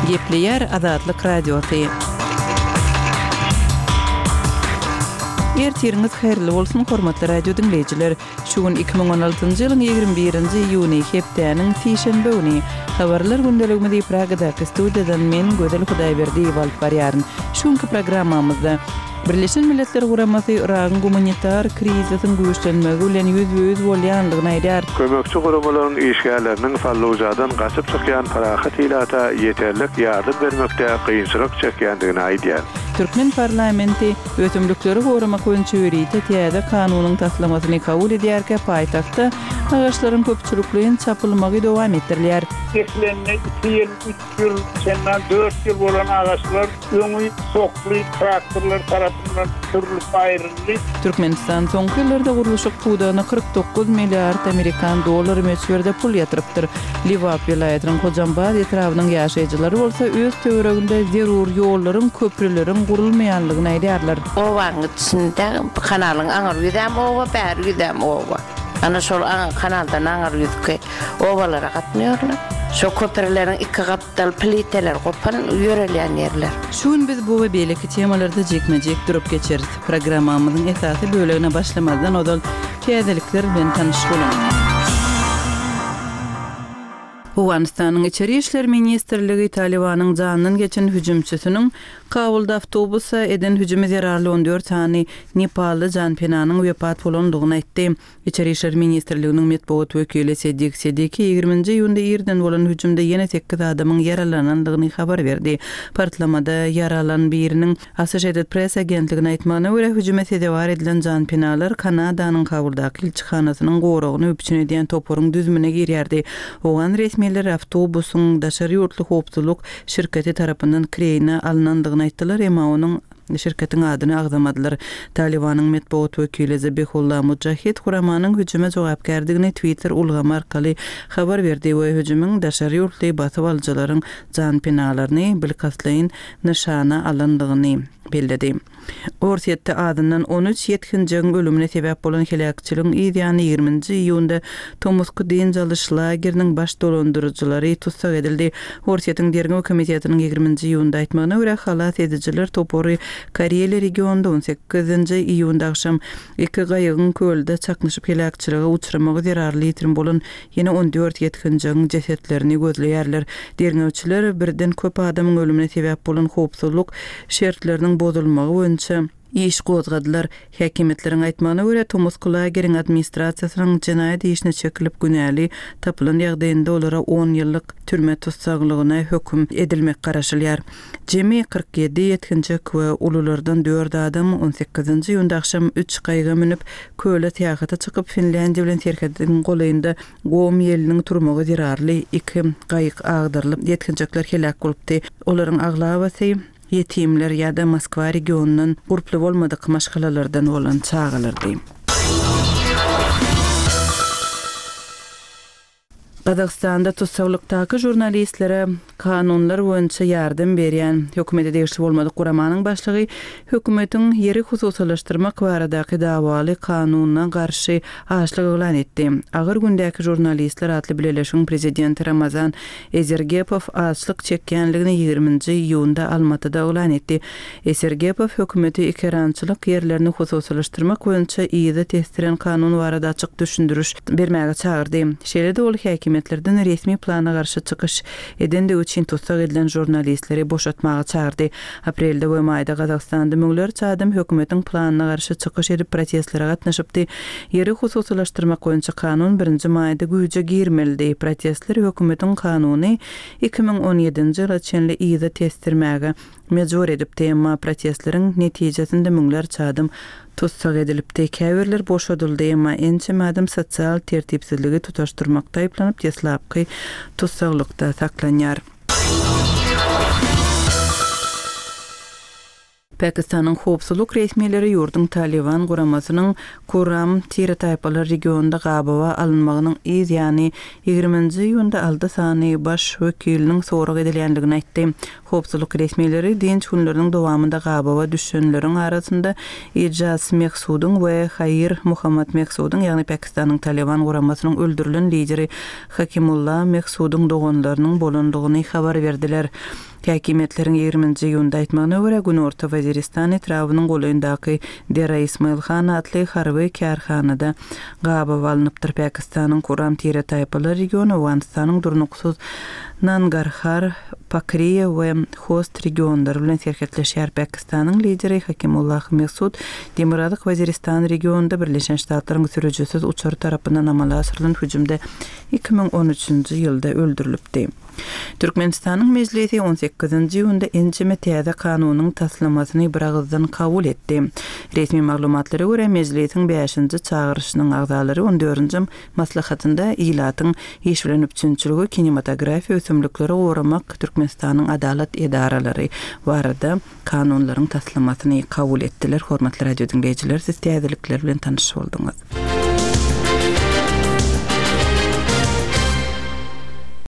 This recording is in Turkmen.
Gepleýär Azatlyk Radiosy. Ertiriňiz haýyrly bolsun, hormatly radio diňleýjiler! Şu gün 2016-njy ýylyň 21-nji iýuny, hepdäniň sişenbe güni. Habarlar gündeligimizi Pragadaky studiýadan men, Gözel Hudaýberdiýewa alyp barýaryn. Şu günki programmamyzda Birleşen Milletler Guramasy Yragyň gumanitar krizisiň güýçlenmegi bilen ýüzbe-ýüz bolýandygyny aýdýar. Kömekçi guramalaryň işgärleriniň Fallujadan gaçyp çykýan parahat ilata ýeterlik ýardam bermekde kynçylyk çekýändigini aýdýar. Türkmen parlamenti ösümlikleri goramak boýunça ýörite täze kanunyň taslamasyny kabul edýärkä paýtagtda agaçlaryň köpçülikleýin çapylmagy dowam etdirilýär. Ekilenine iki ýyl, üç ýyl, çendan dört ýyl bolan agaçlar öňi sokly traktorlar tarapyndan sürlüp aýryldy. Türkmenistan soňky ýyllarda gurluşyk pudagyna 49 milliard amerikan dollary möçberde pul ýatyrypdyr. Lebap welaýatynyň Hojambaz etrabynyň ýaşaýjylary bolsa öz töwereginde zerur ýollaryň, köprüleriň gurulmaýanlygyny aýdýarlar. Obanyň içinde kanalyň aňyr ýüzem oba, bäri ýüzem oba. Ana şol kanaldan aňyr ýüzki obalara gatnaýarlar. Şo köprüleriň iki gapdal pliteleri gopan ýörelýän ýerler. Şu gün biz bu we beýleki temalarda jikme-jik durup geçeris. Programmamyzyň esasy bölegine başlamazdan ozal täzelikler bilen tanyş boluň. Owganystanyň Içeri işler ministrligi Talybanyň jandan geçen hüjümçisiniň Kabulda awtobusa eden hüjümi zerarly 14 sany nepally janpenanyň wepat bolandygyny aýtdy. Içeri işler ministrliginiň metbugat wekili Sedik Sediki ýigriminji iýunda irden bolan hüjümde ýene sekiz adamyň ýaralanandygyny habar berdi. Partlamada ýaralan biriniň Associated Press agentligine aýtmagyna görä, hüjüme sezewar edilen janpenalar Kanadanyň Kabuldaky ilçihanasynyň goragyny üpjün edýän toparyň düzümine girýärdi. Owgan resmileri awtobusyň daşary ýurtly howpsuzlyk şirketi tarapyndan kireýine alnandygyny aýtdylar, emma onuň Şirketiň adyny agzamadylar. Talybanyň metbugat wekili Zabihullah Mujahid guramanyň hüjüme jogapkärdigini Twitter ulgamy arkaly habar berdi we hüjümiň daşary ýurtly basyp alyjylaryň janpenalaryny bilkastlaýyn nyşana alandygyny belledi. Orsýetde azyndan 13 ýetginjegiň ölümine sebäp bolan heläkçiligiň yz ýany ýigriminji iýunda tomusky dynç alyş lageriniň baş dolandyryjylary tussag edildi. Orsýetiň Derňew komitetiniň ýigriminji iýunda aýtmagyna görä, halas edijiler topary Kareliýa regionynda on sekizinji iýunda agşam iki gaýygyň kölde çaknyşyp heläkçilige uçramagy zerarly ýitirim bolan ýene 14 ýetginjegiň jesetlerini gözleýärler. Derňewçiler birden köp adamyň ölümine sebäp bolan howpsuzlyk şertleriniň bozulmagy boýunça iş gozgadylar. Häkimiýetleriň aýtmagyna görä, tomusky lageriň administrasiýasynyň jenaýat işine çekilip günäli tapylan ýagdaýynda olara on ýyllyk türme tussaglygyna höküm edilmek garaşylýar. Jemi 47 ýetginjek we ululardan dört adam on sekizinji iýunda agşam üç gaýyga münüp, köle syýahata çykyp, Finlýandiýa bilen serhediň golaýynda gom ýeliniň turmagy zerarly iki gaýyk agdarylyp, ýetginjekler heläk bolupdy. Olaryň aglabasy ýetimler ýa-da Moskwa regionyndan gurply bolmadyk maşgalalardan bolan çagalardy. Gazagystanda tussaglykdaky žurnalistlere kanunlar boýunça ýardam berýän hökümete degişli bolmadyk guramanyň başlygy hökümetiň ýeri hususylaşdyrmak baradaky dawaly kanunyna garşy açlyk yglan etdi. Agyr gündäki žurnalistler atly bileleşigiň prezidenti Ramazan Ezergepow açlyk çekýänligini ýigriminji iýunda Almatyda yglan etdi. Esergepow hökümeti ekerançylyk ýerlerini hususylaşdyrmak boýunça yza tesdiren kanun barada açyk düşündiriş bermäge çagyrdy. Şeýle-de ol häkimiýetlerden resmi plana garşy çykyş edendigi üçin tussag edilen žurnalistleri boşatmaga çagyrdy. Aprelde we maýda Gazagystanda müňlerçe adam hökümetiň planyna garşy çykyş edip protestlere gatnaşypdy. Ýeri hususylaşdyrmak boýunça kanun birinji maýda güýje girmelidi. Protestler hökümetiň kanuny 2017-nji ýyla çenli yza tesdirmäge mejbur edipdi, emma protestleriň netijesinde müňlerçe adam tussag edilipdi. Käbirler boşadyldy, emma ençeme adam sosial tertipsizligi tutaşdyrmakda aýyplanyp deslapky tussaglykda saklanýar. Pakistanyň howpsuzlyk resmileri ýurduň Talyban guramasynyň Kurram tire-taýpalar regionynda gabawa alynmagynyň yz ýany ýigriminji iýunda alty sany baş wekiliniň sorag edilýändigini aýtdy. Howpsuzlyk resmileri dynç günleriniň dowamynda gabawa düşenleriň arasynda Ijaz Mehsudyň we Hair Muhammad Mehsudyň, ýagny Pakistanyň Talyban guramasynyň öldürilen lideri Hakimulla Mehsudyň doganlarynyň bolandygyny habar berdiler. Häkimiýetleriň ýigriminji iýunda aýtmagyna görä, Günorta Waziristan etrabynyň golaýyndaky Dera Ismail Han atly harby kärhanada gabawa alnypdyr. Pakistanyň Kuram tire-taýpalar regiony Owganystanyň durnuksyz Nangarhar, Pakriýa we Host regionlary bilen serhetleşýär. Pakistanyň lideri Hakimullah Mehsud Demirgazyk Waziristan regionynda Birleşen Ştatlaryň sürüjisiz uçary tarapyndan amala aşyrylan hüjümde 2013-nji ýylda öldürilipdi. Türkmenistanyň Mejlisi on sekizinji iýunda ençeme täze kanunyň taslamasyny biragyzdan kabul etdi. Resmi maglumatlara görä, Mejlisiň bäşinji çagyryşynyň agzalary on dördünji maslahatynda ilatyň iş bilen üpjünçiligi, kinematografiýa, ösümlikleri goramak, Türkmenistanyň adalat edaralary barada kanunlaryň taslamasyny kabul etdiler. Hormatly radio diňleýjiler, siz täzelikler bilen tanyş bolduňyz.